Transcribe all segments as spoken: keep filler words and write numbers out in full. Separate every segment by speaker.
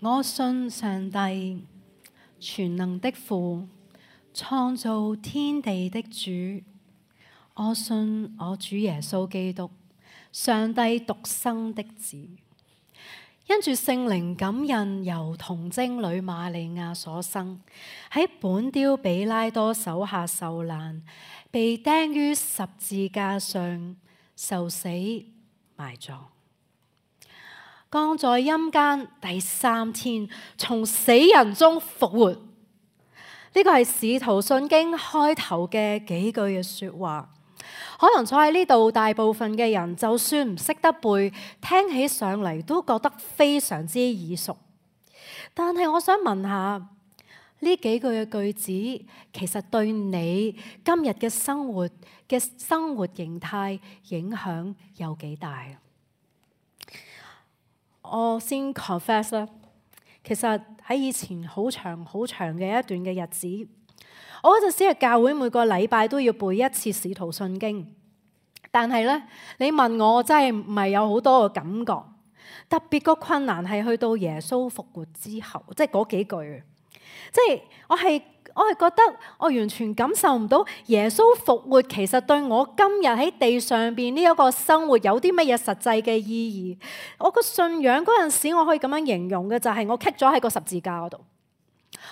Speaker 1: 我信上帝，全能的父，創造天地的主。我信我主耶穌基督，上帝獨生的子。因住聖靈感孕，由童貞女瑪利亞所生，喺本丟彼拉多手下受難，被釘於十字架上，受死埋葬，降在陰間，第三天從死人中復活。呢個係使徒信經開頭嘅幾句嘅說話。可能坐喺呢度大部分嘅人，就算唔識得背，聽起上嚟都覺得非常之耳熟。但係我想問下，呢幾句嘅句子，其實對你今日嘅生活嘅生活形態影響有幾大？我先 confess 啦，其實喺以前好長好長嘅一段嘅日子，我嗰陣時嘅教會每個禮拜都要背一次使徒信經，但係咧，你問我，我真係唔係有好多嘅感覺。特別個困難係去到耶穌復活之後，即係嗰幾句，即係我係我係覺得我完全感受唔到耶穌復活其實對我今日喺地上邊呢一個生活有啲乜嘢實際嘅意義。我個信仰嗰陣時，我可以咁樣形容嘅就係我棘咗喺個十字架嗰度。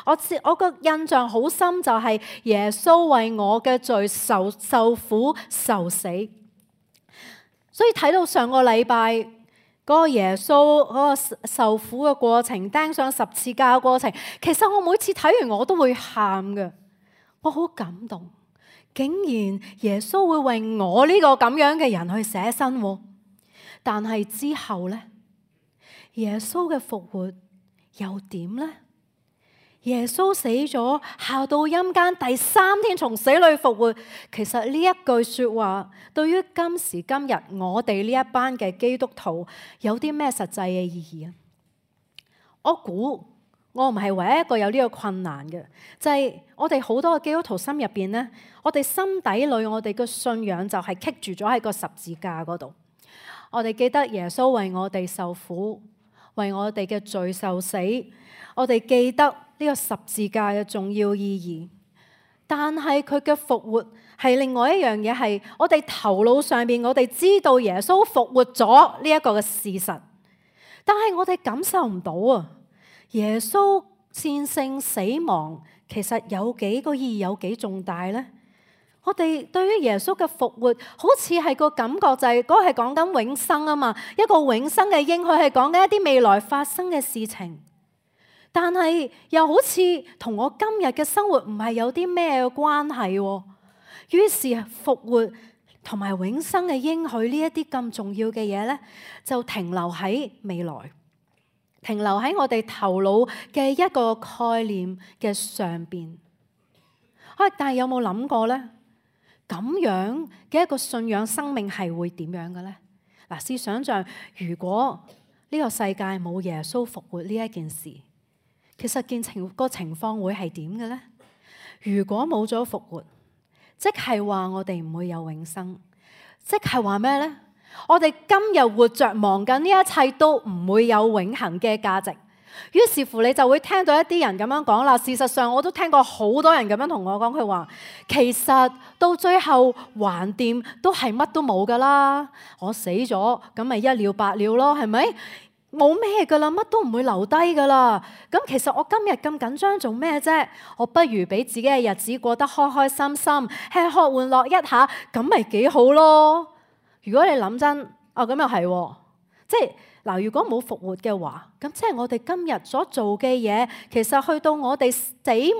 Speaker 1: 我我個印象好深，就係耶穌為我嘅罪受受苦受死。所以睇到上個禮拜嗰個耶穌嗰個受苦嘅過程，釘上十字架嘅過程，其實我每次睇完我都會喊嘅，我好感動。竟然耶穌會為我呢個咁樣嘅人去捨身，但係之後呢，耶穌嘅復活又點呢？耶穌死咗，下到陰間，第三天從死裏復活。其實呢一句說話，對於今時今日我哋呢一班嘅基督徒，有啲咩實際嘅意義啊？我估我唔係唯一一個有呢個困難嘅，就係我哋好多嘅基督徒心入邊呢，我哋心底裏我哋嘅信仰就係棘住咗喺個十字架嗰度。我哋記得耶穌為我哋受苦，為我哋嘅罪受死，我哋記得呢個十字架嘅重要意義，但係佢嘅復活係另外一樣嘢，係我哋頭腦上邊我哋知道耶穌復活咗呢一個嘅事實，但係我哋感受唔到啊！耶穌戰勝死亡，其實有幾個意義，有幾重大呢？我哋對於耶穌嘅復活，好似係個感覺就係嗰個係講緊永生啊嘛，一個永生嘅應許係講緊一啲未來發生嘅事情。但係又好似同我今日嘅生活唔係有啲咩關係喎。於是復活同埋永生嘅應許呢一啲咁重要嘅嘢呢，就停留喺未來，停留喺我哋頭腦嘅一個概念嘅上邊。啊！但係有冇諗過呢？咁樣嘅一個信仰生命係會點樣嘅呢？嗱，試想像如果呢個世界冇耶穌復活呢一件事。其實件情個情況會係點嘅呢？如果冇咗復活，即係話我哋唔會有永生，即係話咩呢？我哋今日活着忙緊呢一切都唔會有永恆嘅價值。於是乎你就會聽到一啲人咁樣講啦。事實上我都聽過好多人咁樣同我講，佢話其實到最後橫掂都係乜都冇噶啦。我死咗咁咪一了百了咯，係咪？冇咩噶啦，乜都唔會留低噶啦。咁其實我今日咁緊張做咩啫？我不如俾自己嘅日子過得開開心心，吃喝玩樂一下，咁咪幾好咯。如果你諗真，哦咁又係，即係嗱，如果冇復活嘅話，咁即係我哋今日所做嘅嘢，其實去到我哋死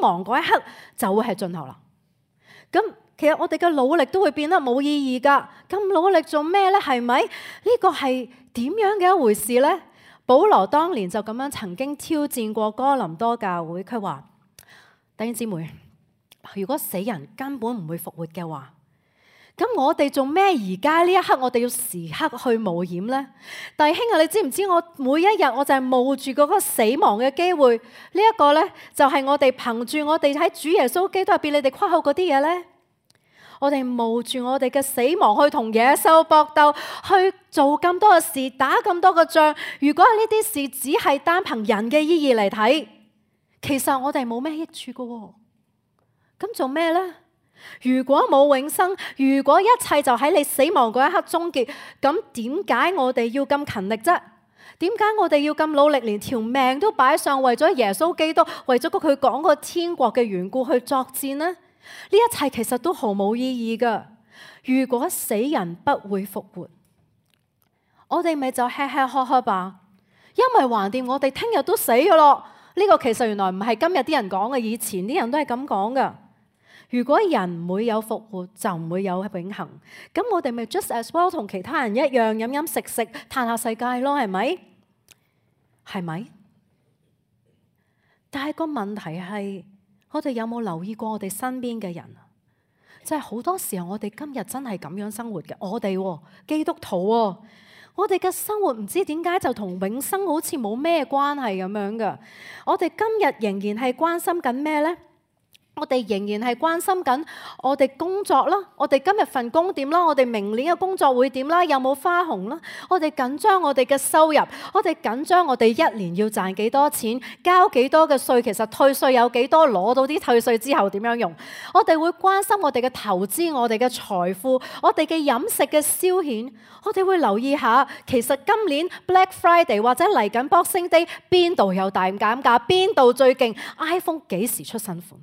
Speaker 1: 亡嗰一刻就會係盡頭啦。咁其實我哋嘅努力都會變得冇意義噶。咁努力做咩呢？係咪？呢個係點樣嘅一回事呢？保羅當年就咁樣曾經挑戰過哥林多教會，佢話：弟兄姊妹，如果死人根本唔會復活嘅話，咁我哋做咩而家呢一刻我哋要時刻去冒險呢？弟兄啊，你知唔知我每一日我就係冒住嗰個死亡嘅機會？呢、這、一個呢，就係我哋憑住我哋喺主耶穌基督入邊，你哋誇口嗰啲嘢呢。我哋冒住我哋嘅死亡去同野獸搏鬥，去做咁多嘅事，打咁多嘅仗。如果呢啲事只係單憑人嘅意義嚟睇，其實我哋冇咩益處㗎。咁做咩呢？如果冇永生，如果一切就喺你死亡嗰一刻終結，咁點解我哋要咁勤力啫？點解我哋要咁努力，連條命都擺上，為咗耶穌基督，為咗佢講個天國嘅緣故去作戰呢？呢一切其實都毫無意義噶。如果死人不會復活，我哋咪就吃吃喝喝吧，因為橫掂我哋聽日都死噶咯。呢個其實原來唔係今日啲人講嘅，以前啲人都係咁講噶。如果人唔會有復活，就唔會有永恆。咁我哋咪 just as well 同其他人一樣，飲飲食食，嘆下世界咯，係咪？係咪？但係個問題係，我哋有冇留意過我哋身邊嘅人？就係好多時候，我哋今日真係咁樣生活嘅。我哋基督徒，我哋嘅生活唔知點解就同永生好似冇咩關係咁樣噶。我哋今日仍然係關心緊咩呢？我哋仍然係關心緊我哋工作啦，我哋今日份工點啦，我哋明年嘅工作會點啦，有冇花紅啦？我哋緊張我哋嘅收入，我哋緊張我哋一年要賺幾多錢，交幾多嘅稅，其實退稅有幾多，攞到啲退稅之後點樣用？我哋會關心我哋嘅投資，我哋嘅財富，我哋嘅飲食嘅消遣，我哋會留意下，其實今年 Black Friday 或者嚟緊 Boxing Day 邊度有大減價，邊度最勁 ，iPhone 幾時出新款？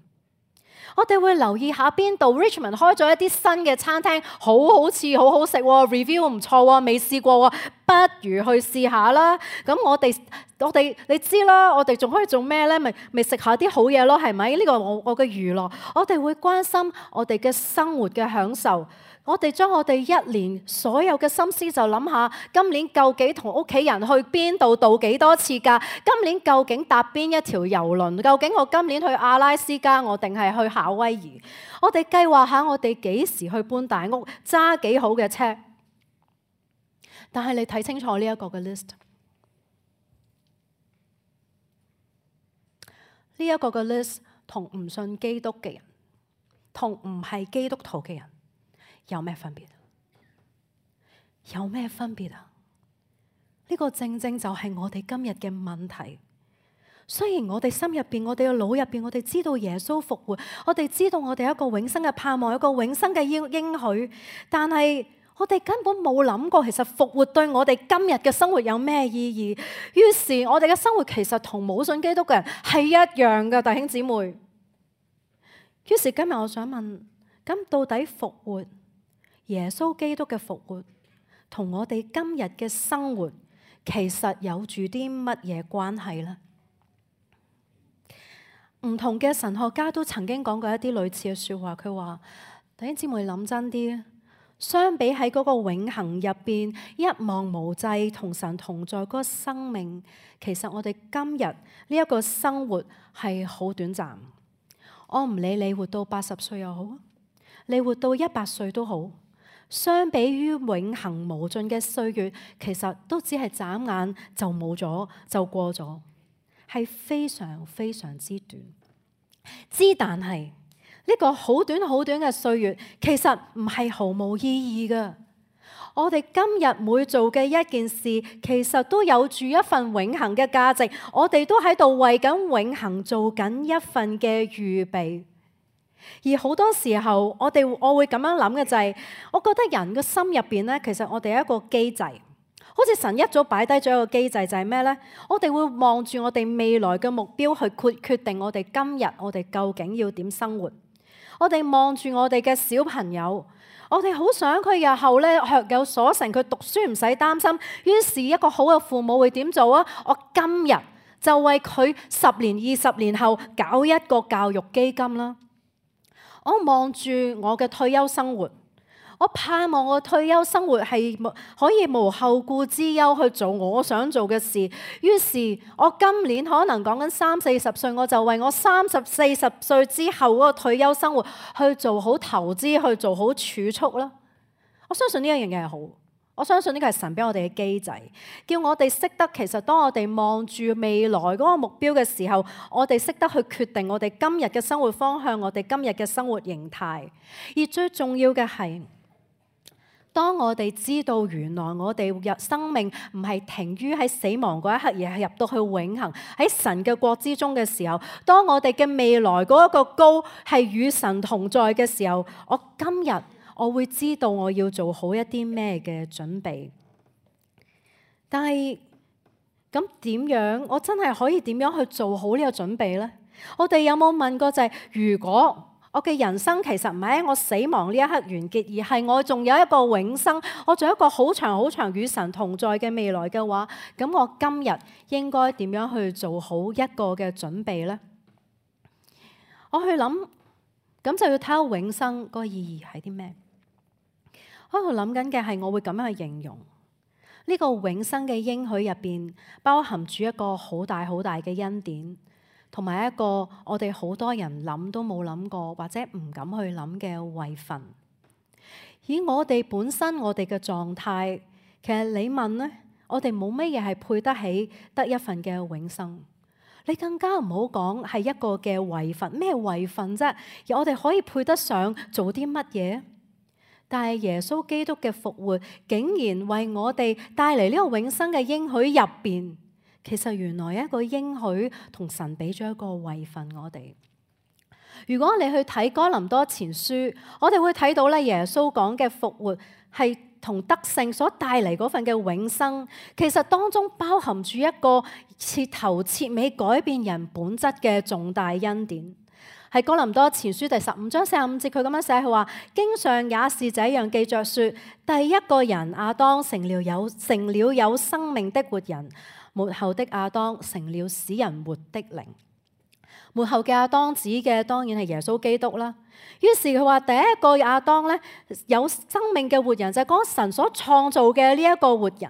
Speaker 1: 我哋會留意下邊度 Richmond 開咗一啲新嘅餐廳，好好似好好食，review 唔錯，未試過，不如去試下啦。咁我哋我哋你知啦，我哋仲可以做咩呢？咪咪食下啲好嘢咯，係咪？呢個我我嘅娛樂，我哋會關心我哋嘅生活嘅享受。我哋將我哋一年所有嘅心思就諗下，今年究竟同屋企人去邊度度幾多次假？今年究竟搭邊一條郵輪？究竟我今年去阿拉斯加，我定係去夏威夷？我哋計劃下我哋幾時去搬大屋，揸幾好嘅車。但係你睇清楚呢一個嘅 list， 呢一個嘅 list 同唔信基督嘅人，同唔係基督徒嘅人，有咩分別？有咩分別啊？呢個正正就係我哋今日嘅問題。雖然我哋心入邊、我哋嘅腦入邊，我哋知道耶穌復活，我哋知道我哋有一個永生嘅盼望，有一個永生嘅應應許，但係我哋根本冇諗過，其實復活對我哋今日嘅生活有咩意義？於是我哋嘅生活其實同冇信基督嘅人係一樣嘅，弟兄姊妹。於是今日我想問，咁到底復活？耶穌基督嘅復活同我哋今日嘅生活其實有住啲乜嘢關係呢？唔同嘅神學家都曾經講過一啲類似嘅說話，佢話：弟兄姊妹諗真啲，相比喺嗰個永恆入邊一望無際同神同在嗰個生命，其實我哋今日呢一個生活係好短暫。我唔理你活到八十歲又好，你活到一百歲都好。相比於永恆無盡嘅歲月，其實都只係眨眼就冇咗，就過咗，係非常非常之短。之但係呢個好短好短嘅歲月，其實唔係毫無意義噶。我哋今日每做嘅一件事，其實都有住一份永恆嘅價值。我哋都喺度為緊永恆做緊一份嘅預備。而好多時候，我哋我會咁樣諗嘅就係，我覺得人嘅心入邊咧，其實我哋有一個機制，好似神一早擺低咗一個機制，就係咩呢？我哋會望住我哋未來嘅目標去決決定我哋今日我哋究竟要點生活。我哋望住我哋嘅小朋友，我哋好想佢日後咧學有所成，佢讀書唔使擔心。於是一個好嘅父母會點做啊？我今日就為佢十年、二十年後搞一個教育基金啦。我望住我嘅退休生活，我盼望我退休生活係可以無後顧之憂去做我想做嘅事。於是，我今年可能講緊三四十歲，我就為我三十四十歲之後嗰個退休生活去做好投資，去做好儲蓄啦。我相信呢一樣嘢係好，我相信呢個係神俾我哋嘅機制，叫我哋識得其實當我哋望住未來嗰個目標嘅時候，我哋識得去決定我哋今日嘅生活方向，我哋今日嘅生活形態。而最重要嘅係，當我哋知道原來我哋入生命唔係停於喺死亡嗰一刻，而係入到去永恆喺神嘅國之中嘅時候，當我哋嘅未來嗰一個高係與神同在嘅時候，我今日我會知道我要做好一啲咩嘅準備。但係咁點樣？我真係可以點樣去做好呢個準備呢？我哋有冇問過就係，如果我嘅人生其實唔係喺我死亡呢一刻完結，而係我仲有一個永生，我仲有一個好長好長與神同在嘅未來嘅話，咁我今日應該點樣去做好一個嘅準備呢？我去諗，咁就要睇下永生個意義係啲咩？我喺度諗緊嘅係，我會咁樣去形容呢個永生嘅應許入邊，包含住一個好大好大嘅恩典，同埋一個我哋好多人諗都冇諗過或者唔敢去諗嘅位份。以我哋本身我哋嘅狀態，其實你問呢，我哋冇乜嘢係配得起得一份嘅永生。你更加唔好講係一個嘅位份，咩位份啫？而我哋可以配得上做啲乜嘢？但係耶穌基督嘅復活，竟然為我哋帶嚟呢個永生嘅應許入邊，其實原來一個應許同神俾咗一個位份我哋。如果你去睇哥林多前書，我哋會睇到咧，耶穌講嘅復活係同得勝所帶嚟嗰份嘅永生，其實當中包含住一個徹頭徹尾改變人本質嘅重大恩典。喺哥林多前書第十五章四十五節，佢咁樣寫，佢話：經上也是這樣記着說，第一個人亞當成了有成了有生命的活人，末後的亞當成了使人活的靈。末後嘅亞當指嘅當然係耶穌基督啦。於是佢話第一個亞當咧，有生命嘅活人就係講神所創造嘅呢一個活人。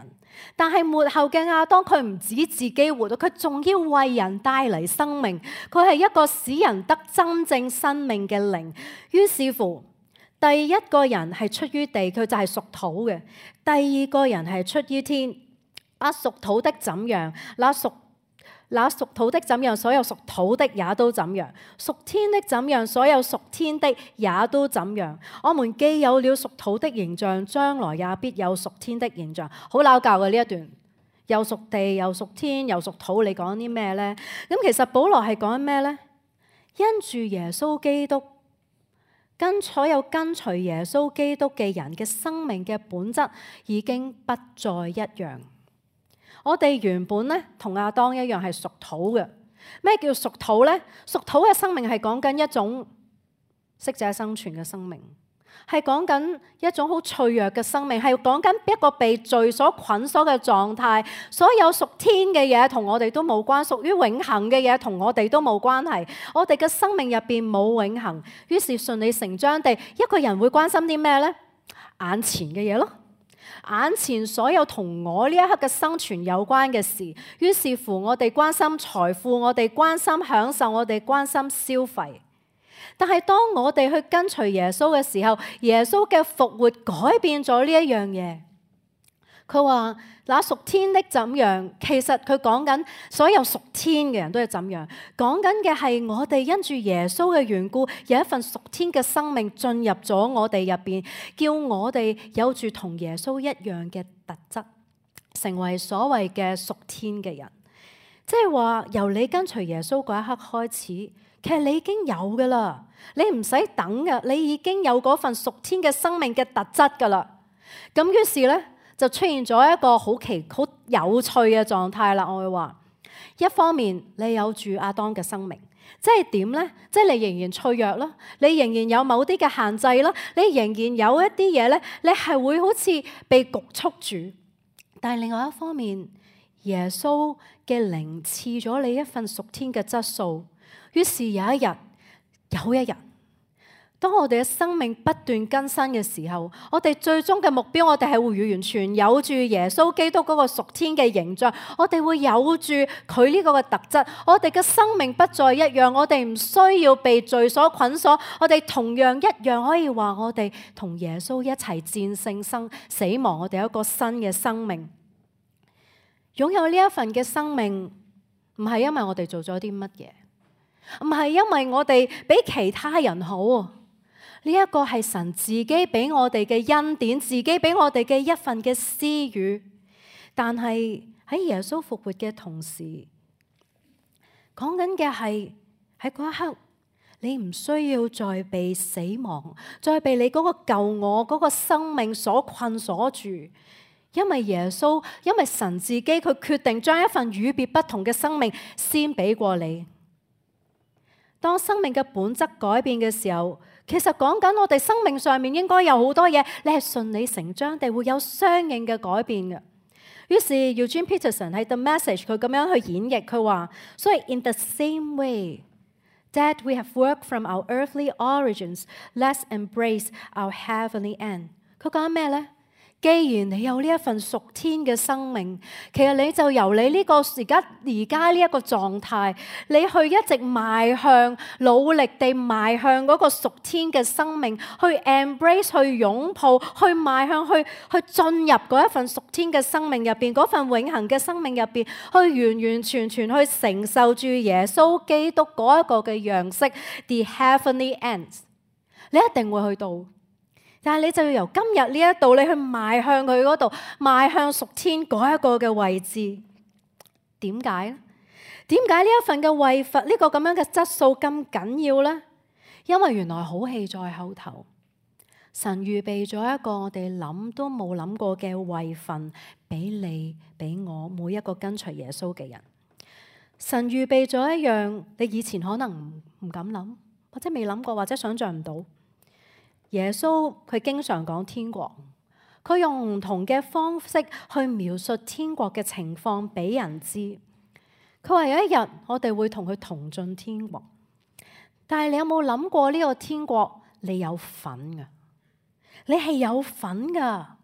Speaker 1: 但係末後嘅亞當，佢唔止自己活到，佢仲要為人帶嚟生命。佢係一個使人得真正生命嘅靈。於是乎，第一個人係出於地，佢就係屬土嘅；第二個人係出於天。啊，屬土的怎樣，那屬那屬土的怎樣，所有屬土的也都怎樣；屬天的怎樣，所有屬天的也都怎樣。我們既有了屬土的形象，將來也必有屬天的形象。好拗教嘅呢一段，又屬地，又屬天，又屬土，你講啲咩呢？咁其實保羅係講咩呢？因住耶穌基督，跟所有跟隨耶穌基督嘅人嘅生命嘅本質已經不再一樣。我哋原本咧同亞當一樣係屬土嘅。咩叫屬土呢？屬土嘅生命係講緊一種適者生存嘅生命，係講緊一種好脆弱嘅生命，係講緊一個被罪所捆鎖嘅狀態。所有屬天嘅嘢同我哋都冇關，屬於永恆嘅嘢同我哋都冇關係。我哋嘅生命入邊冇永恆，於是順理成章地，一個人會關心啲咩呢？眼前嘅嘢咯。眼前所有同我呢一刻嘅生存有關嘅事，於是乎我哋關心財富，我哋關心享受，我哋關心消費。但係當我哋去跟隨耶穌嘅時候，耶穌嘅復活改變咗呢一樣嘢。佢話那屬天的怎樣，其實佢講緊所有屬天嘅人都係怎樣，講緊嘅係我哋因住耶穌嘅緣故，有一份屬天嘅生命進入咗我哋入邊，叫我哋有住同耶穌一樣嘅特質，成為所謂嘅屬天嘅人。即係話由你跟隨耶穌嗰一刻開始，其實你已經有噶啦，你唔使等噶，你已經有嗰份屬天嘅生命嘅特質噶啦。咁於是呢，就出現咗一個好奇好有趣嘅狀態啦。我會話，一方面你有住亞當嘅生命，即係點呢？即係你仍然脆弱啦，你仍然有某啲嘅限制啦，你仍然有一啲嘢呢，你係會好似被局促住。但係另外一方面，耶穌嘅靈賜咗你一份屬天嘅質素，於是有一日，有一日，當我哋嘅生命不斷更新嘅時候，我哋最終嘅目標，我哋係會完全有住耶穌基督嗰個屬天嘅形象，我哋會有住佢呢個嘅特質，我哋嘅生命不再一樣，我哋唔需要被罪所捆鎖，我哋同樣一樣可以話我哋同耶穌一齊戰勝生死亡，我哋有一個新嘅生命。擁有呢一份嘅生命，唔係因為我哋做咗啲乜嘢，唔係因為我哋比其他人好。呢一個係神自己俾我哋嘅恩典，自己俾我哋嘅一份嘅私語。但係喺耶穌復活嘅同時，講緊嘅係喺嗰一刻，你唔需要再被死亡，再被你嗰個舊我嗰個生命所困鎖住。因為耶穌，因為神自己，佢決定將一份與別不同嘅生命先俾過你。當生命嘅本質改變嘅時候，其實講緊我哋生命上面應該有好多嘢，你係順理成章地會有相應嘅改變嘅。於是 Eugene Peterson 喺 The Message 佢咁樣去演繹，佢話：所以 in the same way that we have worked from our earthly origins, let's embrace our heavenly end。佢講咩呢？既然你有呢一份屬天嘅生命，其實你就由你呢個而家而家呢一個狀態，你去一直邁向，努力地邁向嗰個屬天嘅生命，去 embrace， 去擁抱，去邁向，去去進入嗰一份屬天嘅生命入邊，嗰份永恆嘅生命入邊，去完完全全去承受住耶穌基督嗰一個嘅樣式 ，the heavenly ends， 你一定會去到。但係你就要由今日呢一度，你去邁向佢嗰度，邁向屬天嗰一個嘅位置。點解咧？點解呢一份嘅位份呢個咁樣嘅質素咁緊要呢？因為原來好戲在後頭，神預備咗一個我哋諗都冇諗過嘅位份俾你，俾我每一個跟隨耶穌嘅人。神預備咗一樣你以前可能唔唔敢諗，或者未諗過，或者想象唔到。耶穌佢經常講天國，佢用唔同嘅方式去描述天國嘅情況俾人知。佢話有一日我哋會同佢同進天國，但係你有冇諗過呢個天國你有份噶？你係有份噶，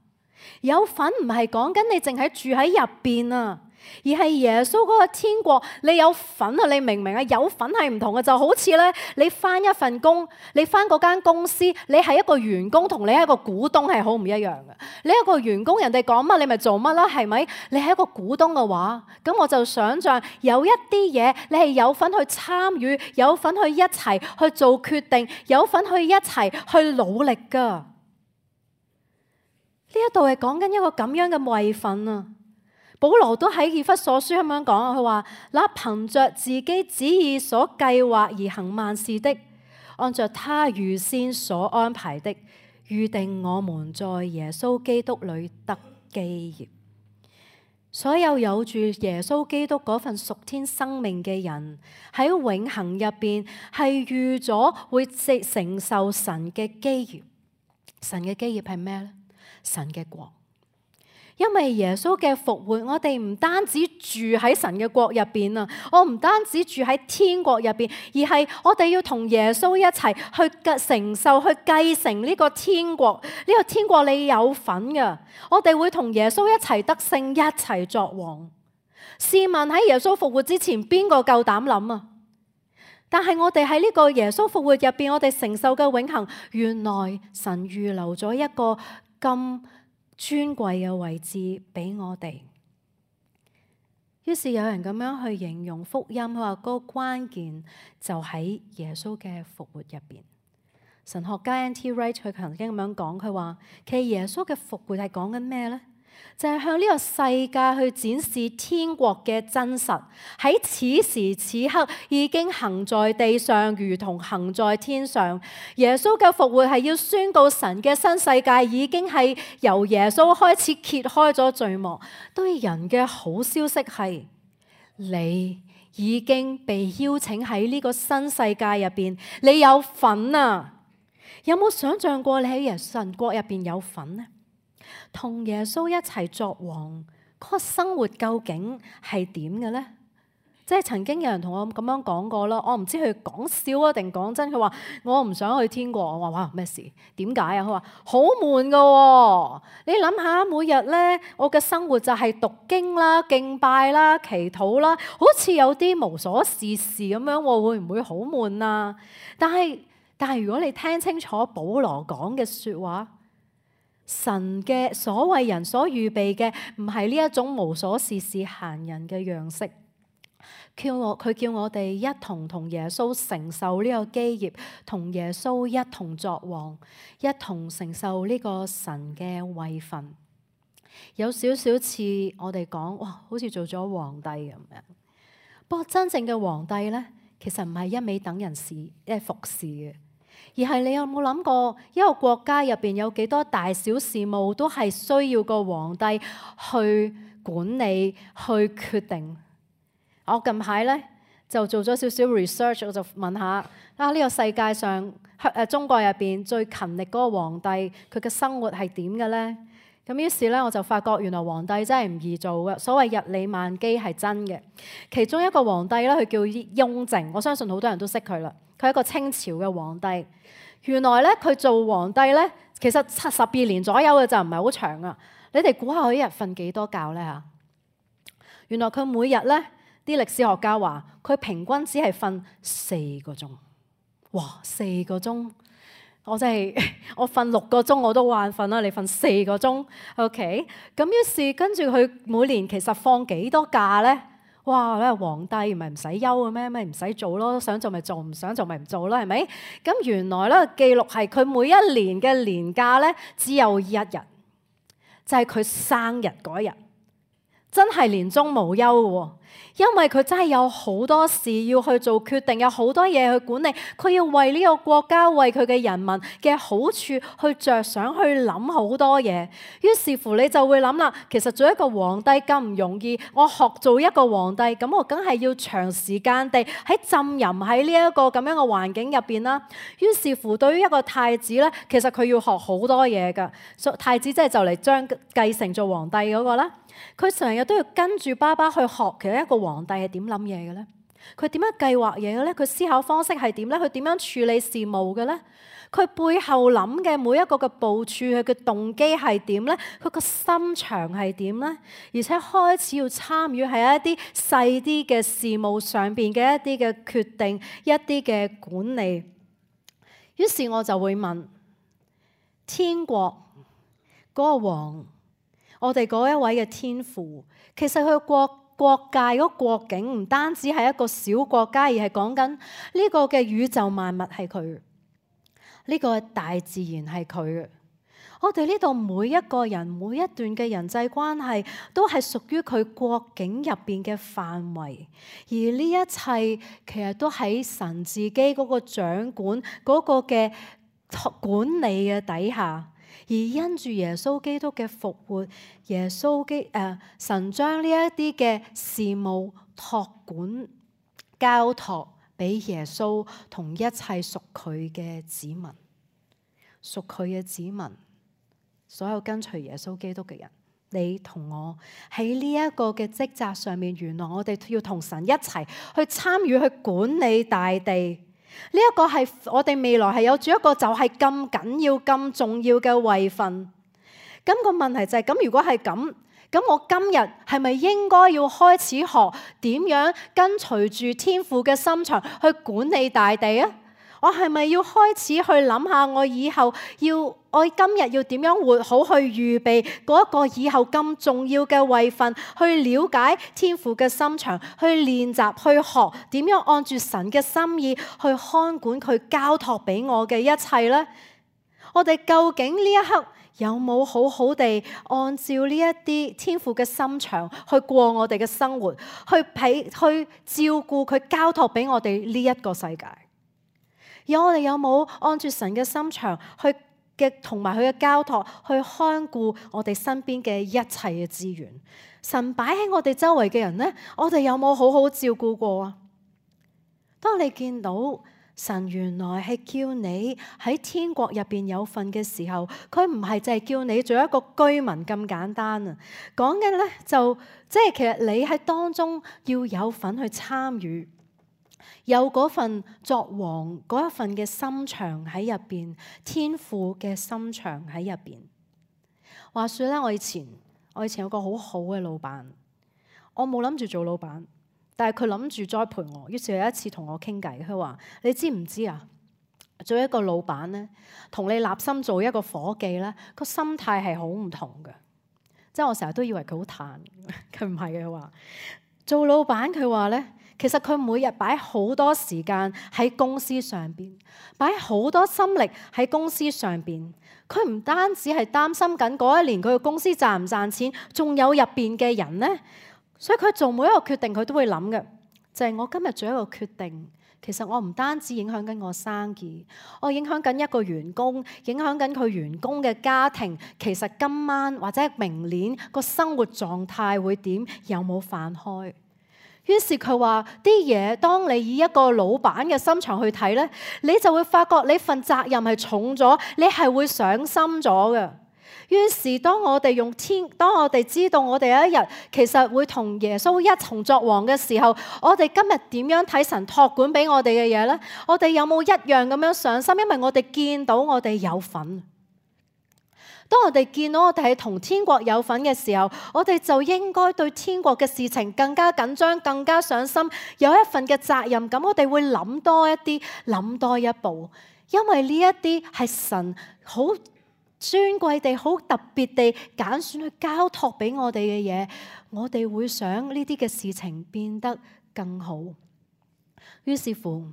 Speaker 1: 有份唔係講緊你淨係住喺入邊啊，而係耶穌嗰個天國你有份啊！你明唔明啊？有份係唔同嘅，就好似咧你返一份工，你返嗰間公司，你係一個員工同你係一個股東係好唔一樣嘅。你一個員工，人哋講乜你咪做乜啦，係咪？你係一個股東嘅話，咁我就想象有一啲嘢你係有份去參與，有份去一齊去做決定，有份去一齊去努力噶。呢一度係講緊一個咁樣嘅位份啊！保羅都喺以弗所書咁樣講，佢話：那憑着自己旨意所計劃而行萬事的，按着他預先所安排的，預定我們在耶穌基督裏得基業。所有有住耶穌基督嗰份屬天生命嘅人，喺永恆入邊係預咗會承受神嘅基業。神嘅基業係咩呢？神嘅國。因為耶穌嘅復活，我哋唔單止住喺神嘅國入邊啊，我唔單止住喺天國入邊，而係我哋要同耶穌一齊去承受、去繼承呢個天國。呢個天國你有份噶，我哋會同耶穌一齊得勝，一齊作王。試問喺耶穌復活之前，邊個夠膽諗啊？但係我哋喺呢個耶穌復活入邊，我哋承受嘅永恆，原來神預留咗一個咁尊貴嘅位置俾我哋。於是有人咁樣去形容福音，佢話嗰個關鍵就喺耶穌嘅復活入邊。神學家 N T Wright 佢曾經咁樣講，佢話其實耶穌嘅復活係講緊咩呢？就係向呢個世界去展示天國嘅真實，喺此時此刻已經行在地上，如同行在天上。耶穌嘅復活係要宣告神嘅新世界已經係由耶穌開始揭開咗序幕。對人嘅好消息係，你已經被邀請喺呢個新世界入邊，你有份啊！有冇想象過你喺神國入邊有份呢？同耶穌一齊作王，嗰個生活究竟係點嘅呢？即係曾經有人同我咁樣講過啦，我唔知佢講笑啊定講真。佢話我唔想去天國。我話哇，咩事？點解啊？佢話好悶噶喎。你諗下，每日咧我嘅生活就係讀經啦、敬拜啦、祈禱啦，好似有啲無所事事咁樣，會唔會好悶啊？但係但係如果你聽清楚保羅講嘅說話，神嘅所為人所預備嘅唔係呢一種無所事事閒人嘅樣式。叫我佢叫我哋一同同耶穌承受呢個基業，同耶穌一同作王，一同承受呢個神嘅位份。有少少似我哋講，哇，好似做咗皇帝咁樣。不過真正嘅皇帝呢，其實唔係一味等人事誒服侍嘅，而係你有冇諗過一個國家入邊有幾多大小事務都係需要個皇帝去管理、去決定。我近排咧就做咗少少 research， 我就問下啊，呢個世界上誒中國入邊最勤力嗰個皇帝，佢嘅生活係點嘅咧？咁於是咧我就發覺原來皇帝真係唔易做嘅。所謂日理萬機係真嘅。其中一個皇帝咧，佢叫雍正，我相信好多人都識佢啦。佢係一個清朝嘅皇帝。原來咧佢做皇帝咧，其實七十二年左右嘅就唔係好長啊。你哋估下佢一日瞓幾多覺咧嚇？原來佢每日咧，啲歷史學家話佢平均只係瞓四個鐘。哇，四個鐘！我真係我瞓六個鐘我都眼瞓啦，你瞓四個鐘 ，OK？ 咁於是跟住佢每年其實放幾多假咧？哇！咧皇帝唔係唔使休嘅咩？咩唔使做咯？想做咪做，唔想做咪唔做啦，係咪？咁原來咧記錄係佢每一年嘅年假咧只有一日，就係佢生日嗰一日，真係年終無休嘅喎。因為佢真係有好多事要去做決定，有好多嘢去管理，佢要為呢個國家、為佢嘅人民嘅好處去着想，去諗好多嘢。於是乎你就會諗啦，其實做一個皇帝咁唔容易，我學做一個皇帝，咁我梗係要長時間地喺浸淫喺呢一個咁樣嘅環境入邊啦。於是乎對於一個太子咧，其實佢要學好多嘢㗎。太子即係就嚟將繼承做皇帝嗰個啦。佢成日都要跟住爸爸去學，其實一個皇帝係點諗嘢嘅咧？佢點樣計劃嘢嘅咧？佢思考方式係點咧？佢點樣處理事務嘅咧？佢背後諗嘅每一個嘅部署，佢嘅動機係點咧？佢個心腸係點咧？而且開始要參與喺一啲細啲嘅事務上邊嘅一啲嘅決定，一啲嘅管理。於是我就會問：天國嗰個王，我哋嗰一位嘅天父，其實佢國國界嗰個國境唔單止係一個小國家，而係講緊呢個嘅宇宙萬物係佢，呢個大自然係佢嘅。我哋呢度每一個人每一段嘅人際關係，都係屬於佢國境入邊嘅範圍，而呢一切其實都喺神自己嗰個掌管嗰個嘅管理嘅底下。而因住耶穌基督嘅復活，耶穌基誒、呃、神將呢一啲嘅事務託管交託俾耶穌同一切屬佢嘅子民，屬佢嘅子民，所有跟隨耶穌基督嘅人，你同我喺呢一個嘅職責上面，原來我哋要同神一齊去參與去管理大地。呢一個係我哋未來係有住一個就係咁緊要、咁重要嘅位份。咁個問題就係咁，如果係咁，咁我今日係咪應該要開始學點樣跟隨住天父嘅心腸去管理大地啊？我係咪要開始去諗下我以後要我今日要點樣活好，去預備嗰一個以後咁重要嘅位份，去了解天父嘅心腸，去練習去學點樣按住神嘅心意去看管佢交託俾我嘅一切呢？我哋究竟呢一刻有冇好好地按照呢一啲天父嘅心腸去過我哋嘅生活，去俾去照顧佢交託俾我哋呢一個世界？而我哋有冇按住神嘅心腸去嘅同埋佢嘅交託去看顧我哋身邊嘅一切嘅資源？神擺喺我哋周圍嘅人呢，我哋有冇好好照顧過啊？當你見到神原來係叫你喺天國入邊有份嘅時候，佢唔係淨係叫你做一個居民咁簡單啊！講嘅咧就即係其實你喺當中要有份去參與，有嗰份作王嗰一份嘅心腸喺入邊，天父嘅心腸喺入邊。話說咧，我以前我以前有個好好嘅老闆，我冇諗住做老闆。但係佢諗住栽培我，於是有一次同我傾偈，佢話：你知唔知啊？做一個老闆咧，同你立心做一個伙計咧，個心態係好唔同嘅。即係我成日都以為佢好嘆，佢唔係嘅。佢話做老闆，佢話咧，其實佢每日擺好多時間喺公司上邊，擺好多心力喺公司上邊。佢唔單止係擔心緊嗰一年佢嘅公司賺唔賺錢，仲有入邊嘅人咧。所以佢做每一個決定，佢都會諗嘅，就係我今日做一個決定，其實我唔單止影響緊我生意，我影響緊一個員工，影響緊佢員工嘅家庭。其實今晚或者明年個生活狀態會點？有冇飯開？於是佢話啲嘢，當你以一個老闆嘅心腸去睇呢，你就會發覺你份責任係重咗，你係會上心咗嘅。於是當我哋用天，當我哋知道我哋有一日其實會同耶穌一同作王嘅時候，我哋今日點樣睇神託管俾我哋嘅嘢呢？我哋有冇一樣咁樣上心？因為我哋見到我哋有份。當我哋見到我哋係同天國有份嘅時候，我哋就應該對天國嘅事情更加緊張，更加上心，有一份嘅責任感。我哋會諗多一啲，諗多一步，因為呢一啲係神好尊貴地、好特別地揀選去交託俾我哋嘅嘢，我哋會想呢啲嘅事情變得更好。於是乎，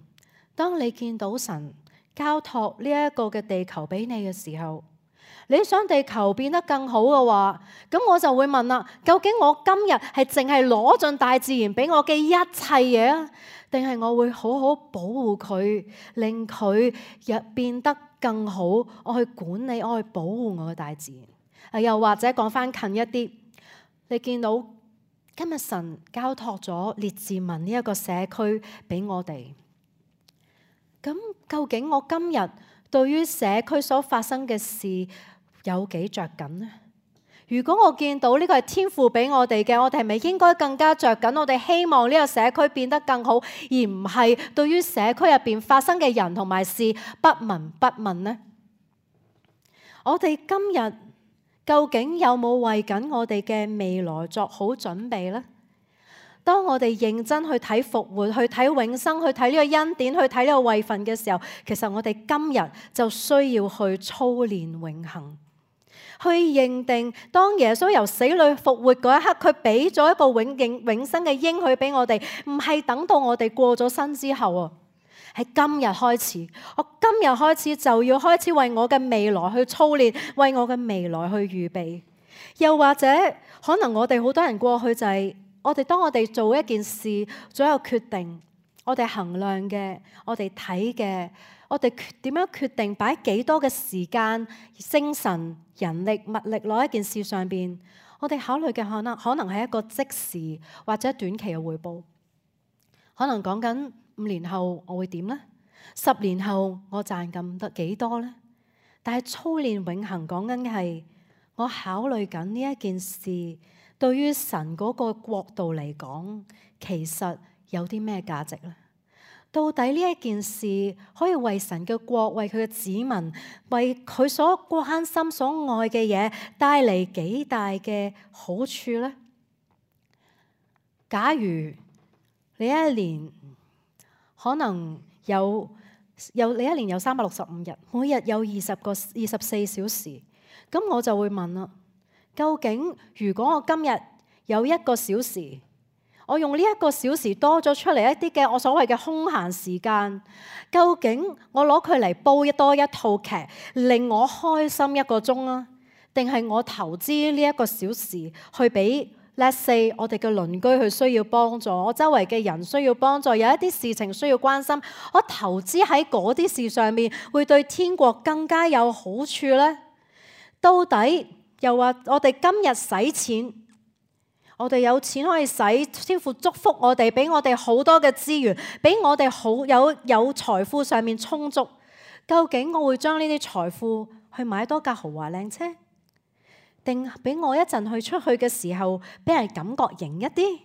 Speaker 1: 當你見到神交託呢一個嘅地球俾你嘅時候，你想地球變得更好嘅話，咁我就會問啦：究竟我今日係淨係攞盡大自然俾我嘅一切嘢啊，定係我會好好保護佢，令佢亦變得更好？我去管理，我去保護我嘅大自然。又或者講翻近一啲，你見到今日神交託咗列治文呢一個社區俾我哋，咁究竟我今日對於社區所發生嘅事有幾着緊呢？如果我見到呢個係天父俾我哋嘅，我哋係咪應該更加着緊？我哋希望呢個社區變得更好，而唔係對於社區入邊發生嘅人同埋事不聞不問呢？我哋今日究竟有冇為緊我哋嘅未來作好準備呢？當我哋認真去睇復活、去睇永生、去睇呢個恩典、去睇呢個位份嘅時候，其實我哋今日就需要去操練永恆，去認定當耶穌由死裏復活嗰一刻，佢俾咗一個永永永生嘅應許俾我哋，唔係等到我哋過咗身之後啊，係今日開始，我今日開始就要開始為我嘅未來去操練，為我嘅未來去預備。又或者可能我哋好多人過去就係、是。我哋當我哋做一件事，做一個決定，我哋衡量嘅，我哋睇嘅，我哋點樣決定擺幾多嘅時間、精神、人力、物力落一件事上邊，我哋考慮嘅可能可能係一個即時或者短期嘅回報，可能講緊五年後我會點呢？十年後我賺咁得幾多呢？但係操練永恆講緊嘅係我考慮緊呢一件事。對於神嗰個國度嚟講，其實有啲咩價值呢？到底呢一件事可以為神嘅國、為佢嘅子民、為佢所關心、所愛嘅嘢帶嚟幾大嘅好處呢？假如你一年可能有有你一年有三百六十五日，每日有二十個二十四小時，咁我就會問啦。究竟如果我今日有一個小時，我用呢一個小時多咗出嚟一啲嘅我所謂嘅空閒時間，究竟我攞佢嚟煲多一套劇，令我開心一個鐘啊？定係我投資呢一個小時去俾 let's say 我哋嘅鄰居佢需要幫助，我周圍嘅人需要幫助，有一啲事情需要關心，我投資喺嗰啲事上面，會對天國更加有好處呢？到底？又話我哋今日使錢，我哋有錢可以使，天父祝福我哋，俾我哋好多嘅資源，俾我哋好有有財富上面充足。究竟我會將呢啲財富去買多架豪華靚車，定俾我一陣去出去嘅時候，俾人感覺型一啲？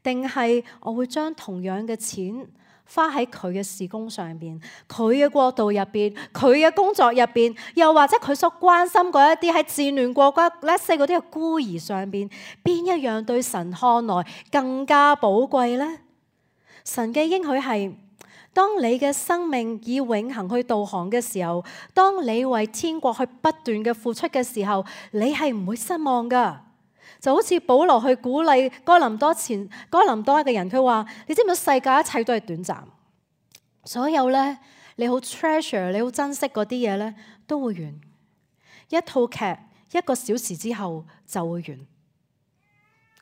Speaker 1: 定係我會將同樣嘅錢花喺佢嘅事工上邊，佢嘅國度入邊，佢嘅工作入邊，又或者佢所關心嗰一啲喺戰亂國家，let's say嗰啲嘅孤兒上邊，邊一樣對神看來更加寶貴呢？神嘅應許係，當你嘅生命以永恆去導航嘅時候，當你為天國去不斷嘅付出嘅時候，你係唔會失望噶。就好似保羅去鼓勵哥林多前哥林多嘅人，佢話：你知唔知世界一切都係短暫，所有咧你好 treasure 你好珍惜嗰啲嘢咧都會完。一套劇一個小時之後就會完，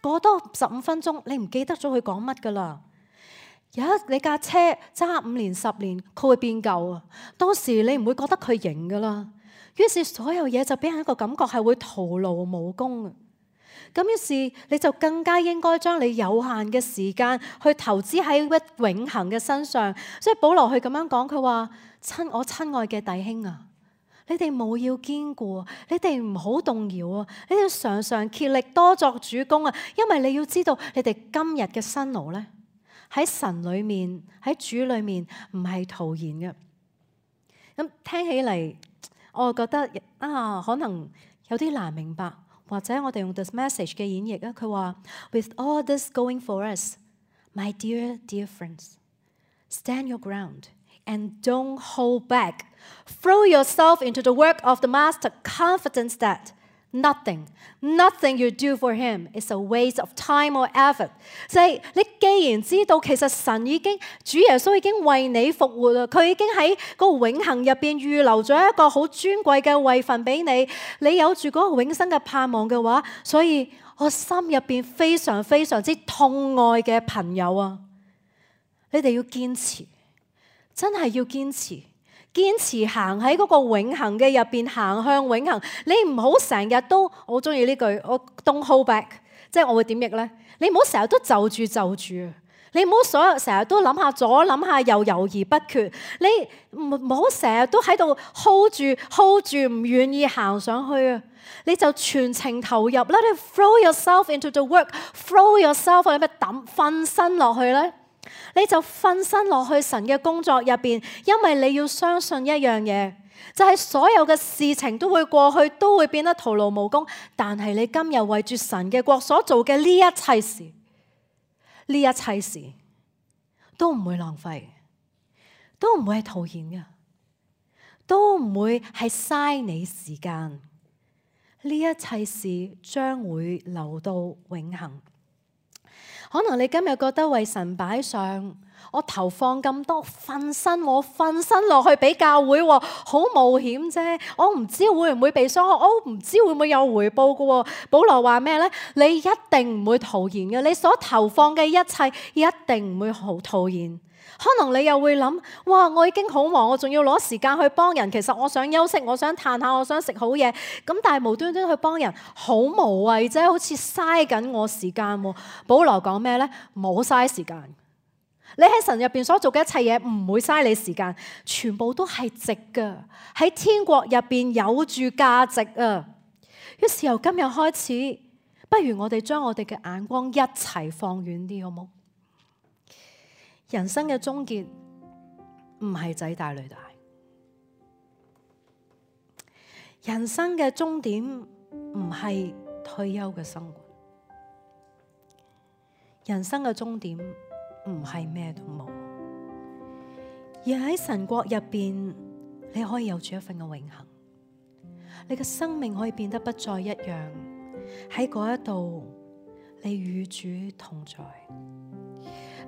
Speaker 1: 過多十五分鐘你唔記得咗佢講乜噶啦。有一你架車揸五年十年，佢會變舊啊，當時你唔會覺得佢型噶啦。於是所有嘢就俾人一個感覺係會徒勞無功。咁於是你就更加應該將你有限嘅時間去投資喺一永恆嘅身上。所以保羅佢咁樣講，佢話：親我親愛嘅弟兄啊，你哋務要堅固，你哋唔好動搖啊！你哋常常竭力多作主工啊！因為你要知道，你哋今日嘅辛勞咧喺神裏面，喺主裏面唔係徒然嘅。咁聽起嚟，我覺得啊，可能有啲難明白。或者我哋用 this message 嘅演繹啊，佢話 With all this going for us, my dear dear friends, stand your ground and don't hold back. Throw yourself into the work of the Master, confident that nothing, nothing you do for him is a waste of time or effort. 就係你既然知道，其實神已經主耶穌已經為你復活啦，佢已經喺個永恆入邊預留咗一個好尊貴嘅位份俾你，你有住嗰個永生嘅盼望嘅話，所以我心入邊非常非常之痛愛嘅朋友啊，你哋要堅持，真係要堅持。堅持行喺嗰個永恆嘅入邊，行向永恆。你唔好成日都，我好中意呢句，我 don't hold back， 即係我會點譯呢？你唔好成日都就住就住，你唔好所有成日都諗下左諗下右，猶豫不決。你唔好成日都喺度 hold 住 hold 住，唔願意行上去啊！你就全程投入啦，你 throw yourself into the work，throw yourself 你咪抌瞓身落去咧。你就瞓身落去神嘅工作入邊，因為你要相信一樣嘢，就係所有嘅事情都會過去，都會變得徒勞無功。但係你今日為住神嘅國所做嘅呢一切事，呢一切事都唔會浪費，都唔會係徒然嘅，都唔會係嘥你時間。呢一切事將會留到永恆。可能你今日覺得為神擺上，我投放咁多，瞓身我瞓身落去俾教會，好冒險啫。我唔知會唔會被傷害，我唔知會唔會有回報嘅。保羅話咩呢？你一定唔會徒然嘅，你所投放嘅一切一定唔會好徒然。可能你又會諗，哇！我已經好忙，我仲要攞時間去幫人。其實我想休息，我想嘆下，我想食好嘢。咁但係無端端去幫人，好無謂啫，好似嘥緊我時間。保羅講咩呢？冇嘥時間。你喺神入邊所做嘅一切嘢唔會嘥你時間，全部都係值㗎。喺天國入邊有住價值啊！於是由今日開始，不如我哋將我哋嘅眼光一齊放遠啲，好冇？人生嘅終結唔係仔大女大，人生嘅終點唔係退休嘅生活，人生嘅終點唔係咩都冇，而喺神國入邊，你可以有住一份嘅永恆，你嘅生命可以變得不再一樣。喺嗰一度，你與主同在。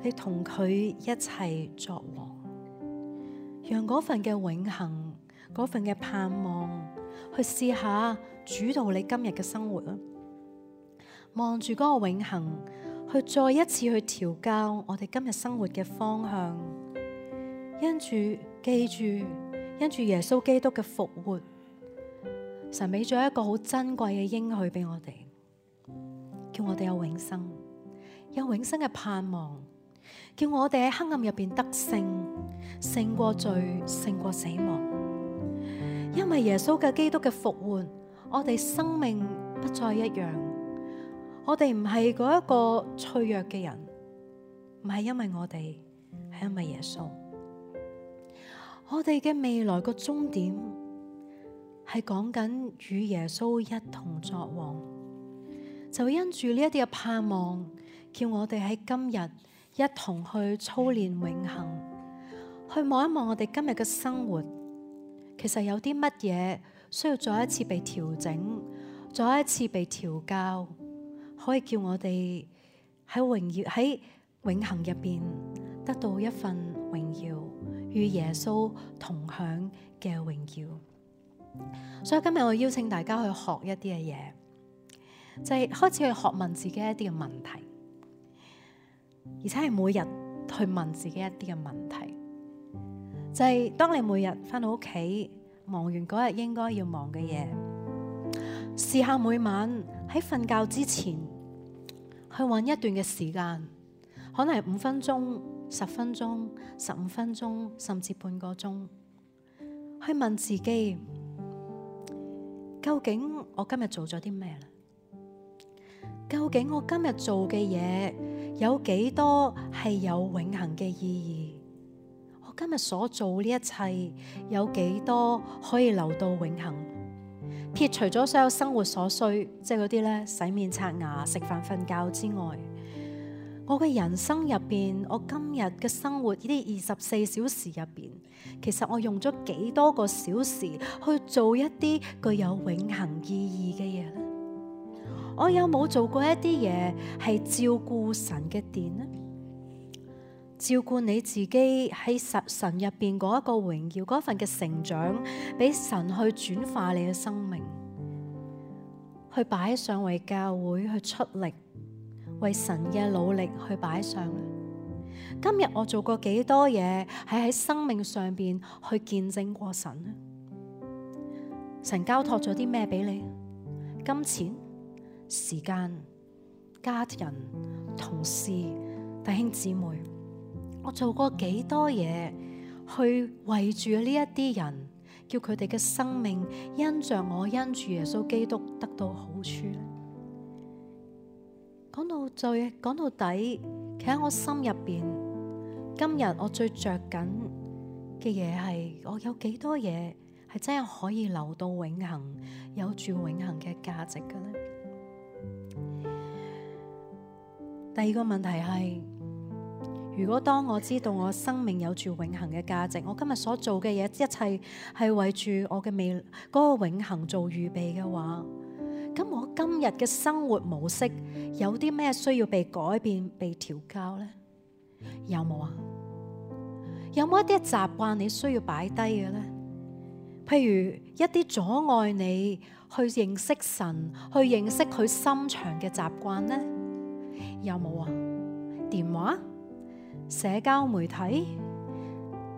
Speaker 1: 你同佢一齊作王，讓嗰份嘅永恆，嗰份嘅盼望，去試下主導你今日嘅生活啦。望住嗰個永恆，去再一次去調教我哋今日生活嘅方向。因住記住，因住耶穌基督嘅復活，神俾咗一個好珍貴嘅應許俾我哋，叫我哋有永生，有永生嘅盼望，叫我哋喺黑暗入邊得勝，勝過罪，勝過死亡。因為耶穌嘅基督嘅復活，我哋生命不再一樣。我哋唔係嗰一個脆弱嘅人，唔係因為我哋，係因為耶穌。我哋嘅未來個終點係講緊與耶穌一同作王，就因住呢一啲嘅盼望，叫我哋喺今日一同去操練永恆，去望一望我哋今日嘅生活，其實有啲乜嘢需要再一次被調整，再一次被調教，可以叫我哋喺榮耀喺永恆入邊得到一份榮耀，與耶穌同享嘅榮耀。所以今日我邀請大家去學一啲嘅嘢，就係開始去學問自己一啲嘅問題，而且係每日去問自己一啲嘅問題。就係當你每日返到屋企，忙完嗰日應該要忙嘅嘢，試下每晚喺瞓覺之前去搵一段嘅時間，可能係五分鐘、十分鐘、十五分鐘，甚至半個鐘，去問自己，究竟我今日做咗啲咩咧？究竟我今日做嘅嘢有幾多係有永恆嘅意義？我今日所做呢一切有幾多可以留到永恆？撇除咗所有生活所需，即係嗰啲咧洗面刷牙、食飯瞓覺之外，我嘅人生入邊，我今日嘅生活呢啲二十四小時入邊，其實我用咗幾多個小時去做一啲具有永恆意義嘅嘢咧？我有冇做過一啲嘢係照顧神嘅殿呢？照顧你自己喺神神入邊嗰一個榮耀，嗰份嘅成長，俾神去轉化你嘅生命，去擺上為教會去出力，為神嘅努力去擺上。今日我做過幾多嘢係喺生命上邊去見證過神呢？神交託咗啲咩俾你？金錢、時間、家人、同事、弟兄姊妹，我做過幾多嘢去圍住呢一啲人，叫佢哋嘅生命因着我因住耶穌基督得到好處咧？講到最講到底，企喺我心入邊，今日我最着緊嘅嘢係，我有幾多嘢係真係可以留到永恆，有住永恆嘅價值嘅咧？第二個問題係，如果當我知道我生命有住永恆嘅價值，我今日所做嘅嘢一切係為住我嘅未嗰個永恆做預備嘅話，咁我今日嘅生活模式有啲咩需要被改變、被調教呢？有冇啊？有冇一啲習慣你需要擺低嘅呢？譬如一啲阻礙你去認識神、去認識佢心腸嘅習慣呢？有冇啊？電話、社交媒體、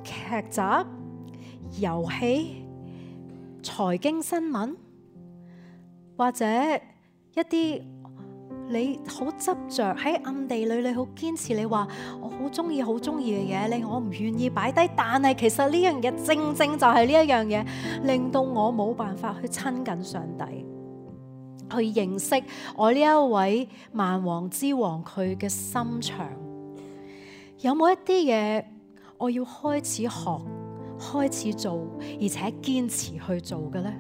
Speaker 1: 劇集、遊戲、財經新聞，或者一啲你好執着喺暗地裏，你好堅持，你話我好中意、好中意嘅嘢，你我唔願意擺低，但係其實呢樣嘢正正就係呢一樣嘢，令到我冇辦法去親近上帝，去認識我呢一位萬王之王佢嘅心腸。有冇一啲嘢我要開始學、開始做，而且堅持去做嘅呢？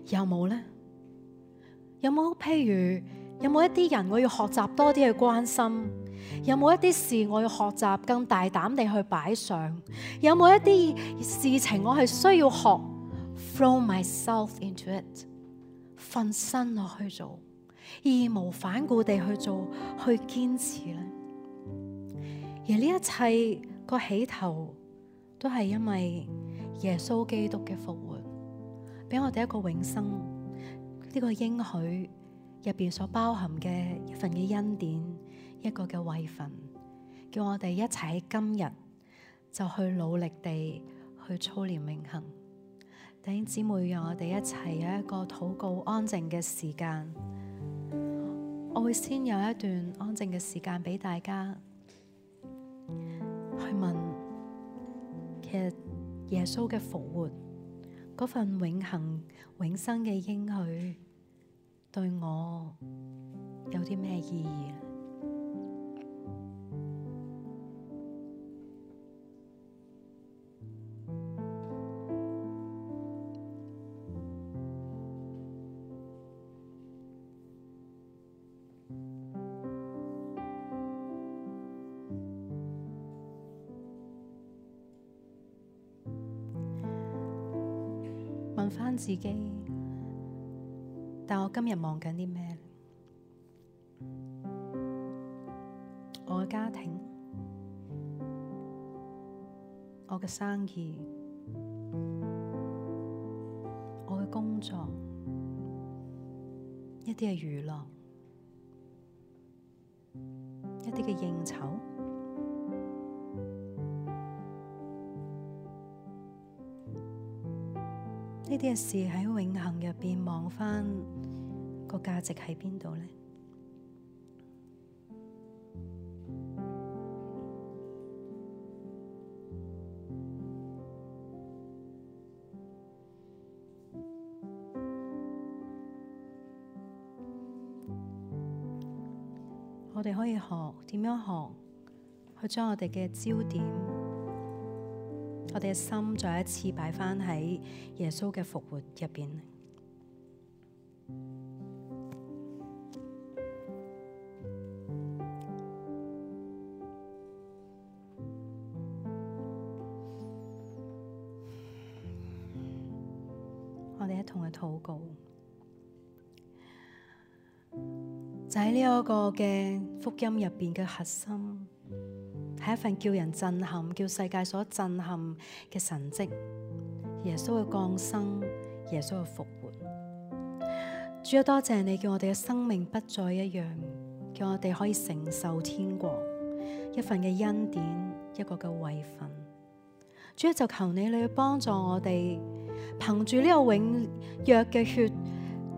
Speaker 1: 有冇呢？有冇譬如有冇一啲人我要學習多啲去關心？有冇一啲事我要學習更大膽地去擺上？有冇一啲事情我係需要學 throw myself into it， 瞓身落去做，義無反顧地去做，去堅持呢？而呢一切個起頭都係因為耶穌基督嘅復活，俾我哋一個永生，呢個應許入邊所包含嘅一份嘅恩典，一個嘅位份，叫我哋一齊喺今日就去努力地去操練永恆。弟兄姊妹，讓我哋一齊有一個禱告安靜嘅時間。我會先有一段安靜嘅時間俾大家去問，其實耶穌嘅復活嗰份永恆永生嘅應許對我有啲咩意義？問返自己，但我今日忙緊啲咩？我嘅家庭，我嘅生意，我嘅工作，一啲嘅娛樂，一啲嘅應酬。呢啲嘅事喺永恆入邊望返個價值喺邊度呢？我哋可以學點樣學去將我哋嘅焦點，我哋嘅心再一次擺返喺耶穌嘅復活入邊。我哋一同去禱告，就喺呢一個嘅福音入邊嘅核心，係一份叫人震撼、叫世界所震撼嘅神蹟，耶穌嘅降生，耶穌嘅復活。主啊，多謝你叫我哋嘅生命不再一樣，叫我哋可以承受天國，一份嘅恩典，一個嘅位份。主啊，就求你你去幫助我哋，憑住呢個永約嘅血，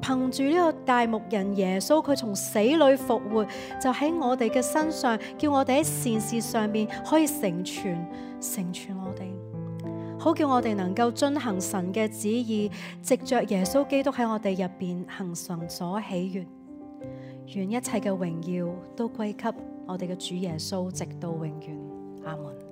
Speaker 1: 憑住呢個大牧人耶穌，佢從死裏復活，就喺我哋嘅身上，叫我哋喺善事上面可以成全，成全我哋，好叫我哋能夠遵行神嘅旨意，藉着耶穌基督喺我哋入邊行神所喜悅，願一切嘅榮耀都歸給我哋嘅主耶穌，直到永遠。阿門。